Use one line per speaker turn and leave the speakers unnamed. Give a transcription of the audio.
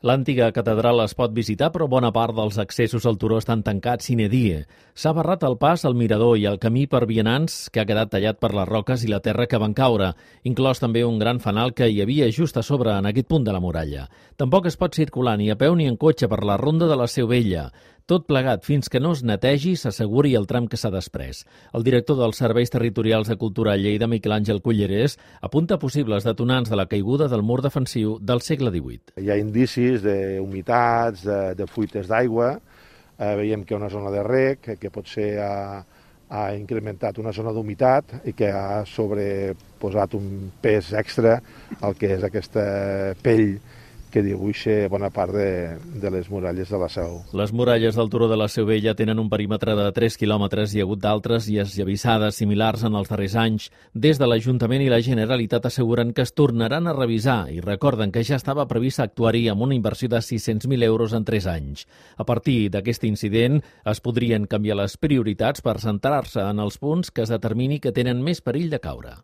L'antiga catedral es pot visitar, però bona part dels accessos al turó estan tancats sine die. S'ha barrat el pas al mirador i el camí per vianants, que ha quedat tallat per les roques i la terra que van caure, inclòs també un gran fanal que hi havia just a sobre en aquest punt de la muralla. Tampoc es pot circular ni a peu ni en cotxe per la ronda de la Seu Vella. Tot plegat fins que no es netegi, s'asseguri el tram que s'ha després. El director dels Serveis Territorials de Cultura a Lleida, Miquel Àngel Cullerés, apunta possibles detonants de la caiguda del mur defensiu del segle XVIII.
Hi ha indicis d'humitats, de fuites d'aigua. Veiem que hi ha una zona de rec que potser ha incrementat una zona d'humitat i que ha sobreposat un pes extra al que és aquesta pell que dibuixa bona part de les muralles de la Seu.
Les muralles del turó de la Seu Vella tenen un perímetre de 3 quilòmetres i hi ha hagut d'altres i esllavissades similars en els darrers anys. Des de l'Ajuntament i la Generalitat asseguren que es tornaran a revisar i recorden que ja estava previst actuar-hi amb una inversió de 600.000 euros en 3 anys. A partir d'aquest incident es podrien canviar les prioritats per centrar-se en els punts que es determini que tenen més perill de caure.